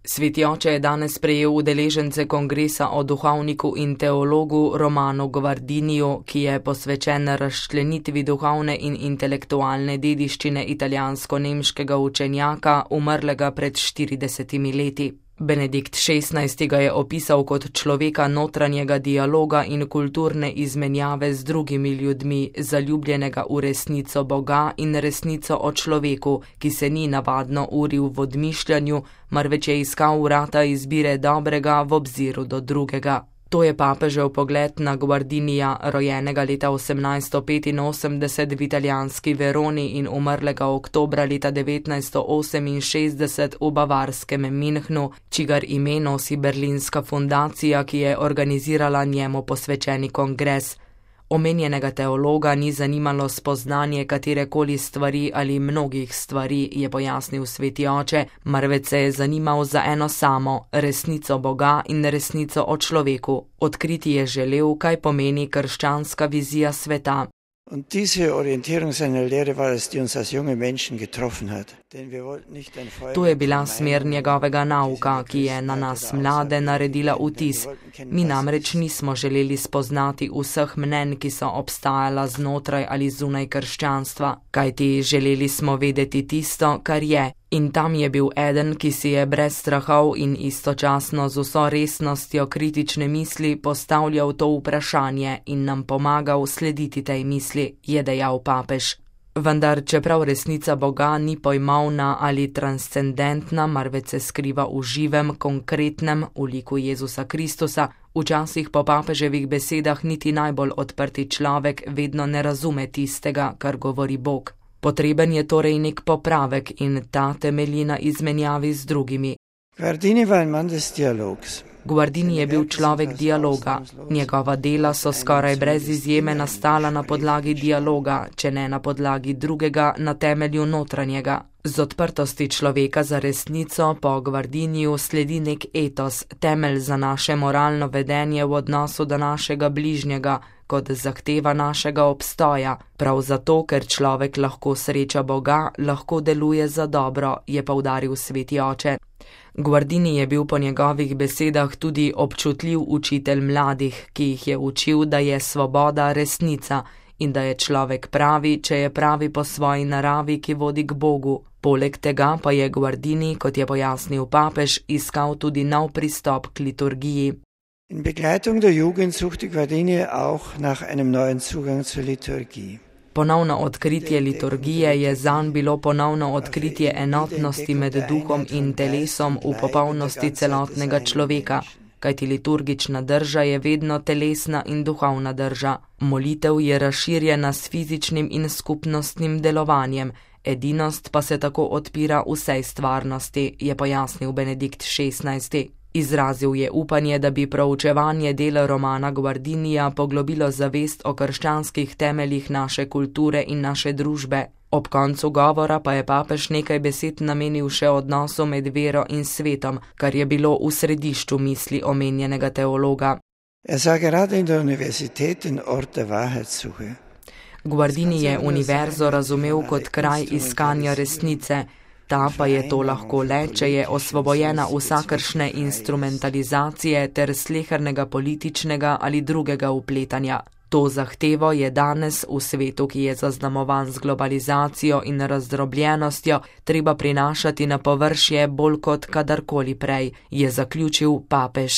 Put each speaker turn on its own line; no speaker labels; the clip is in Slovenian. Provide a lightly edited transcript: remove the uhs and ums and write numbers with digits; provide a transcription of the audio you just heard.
Sveti oče je danes prejel udeležence kongresa o duhovniku in teologu Romanu Guardiniju, ki je posvečen razčlenitvi duhovne in intelektualne dediščine italijansko-nemškega učenjaka, umrlega pred 40 leti. Benedikt XVI. Ga je opisal kot človeka notranjega dialoga in kulturne izmenjave z drugimi ljudmi, zaljubljenega v resnico Boga in resnico o človeku, ki se ni navadno uril v odmišljanju, marveč je iskal vrata izbire dobrega v obziru do drugega. To je papežev pogled na Guardinija, rojenega leta 1885 v italijanski Veroni in umrlega oktobra leta 1968 v bavarskem Münchnu, čigar ime nosi berlinska fundacija, ki je organizirala njemu posvečeni kongres. Omenjenega teologa ni zanimalo spoznanje katerekoli stvari ali mnogih stvari, je pojasnil sveti oče, marveč se je zanimal za eno samo, resnico Boga in resnico o človeku. Odkriti je želel, kaj pomeni krščanska vizija sveta.
Und diese Orientierung seiner Lehre war es, die uns als junge Menschen getroffen hat.
To je bila smer njegovega nauka, ki je na nas mlade naredila vtis. Mi namreč nismo želeli spoznati vseh mnenj, ki so obstajala znotraj ali zunaj krščanstva, kajti želeli smo vedeti tisto, kar je. In tam je bil eden, ki si je brez strahov in istočasno z vso resnostjo kritične misli postavljal to vprašanje in nam pomagal slediti tej misli, je dejal papež. Vendar, čeprav resnica Boga ni pojmovna ali transcendentna, marveč se skriva v živem, konkretnem, v liku Jezusa Kristusa, včasih po papeževih besedah niti najbolj odprti človek vedno ne razume tistega, kar govori Bog. Potreben je torej nek popravek in ta temelji na izmenjavi z drugimi. Guardini je bil človek dialoga. Njegova dela so skoraj brez izjeme nastala na podlagi dialoga, če ne na podlagi drugega, na temelju notranjega. Z odprtosti človeka za resnico po Guardiniju sledi nek etos, temelj za naše moralno vedenje v odnosu do našega bližnjega, kot zahteva našega obstoja. Prav zato, ker človek lahko sreča Boga, lahko deluje za dobro, je poudaril sveti oče. Guardini je bil po njegovih besedah tudi občutljiv učitelj mladih, ki jih je učil, da je svoboda resnica in da je človek pravi, če je pravi po svoji naravi, ki vodi k Bogu. Poleg tega pa je Guardini, kot je pojasnil papež, iskal tudi nov pristop k liturgiji.
In begleitung der Jugend suchte Guardini auch nach einem neuen Zugang zur Liturgie.
Ponovno odkritje liturgije je zanj bilo ponovno odkritje enotnosti med duhom in telesom v popolnosti celotnega človeka, kajti liturgična drža je vedno telesna in duhovna drža. Molitev je razširjena s fizičnim in skupnostnim delovanjem, edinost pa se tako odpira vsej stvarnosti, je pojasnil Benedikt XVI. Izrazil je upanje, da bi proučevanje dela Romana Guardinija poglobilo zavest o krščanskih temeljih naše kulture in naše družbe. Ob koncu govora pa je papež nekaj besed namenil še odnosu med vero in svetom, kar je bilo v središču misli omenjenega teologa. Guardini je univerzo razumel kot kraj iskanja resnice, ta pa je to lahko le, če je osvobojena vsakršne instrumentalizacije ter slehernega političnega ali drugega vpletanja. To zahtevo je danes v svetu, ki je zaznamovan z globalizacijo in razdrobljenostjo, treba prinašati na površje bolj kot kadarkoli prej, je zaključil papež.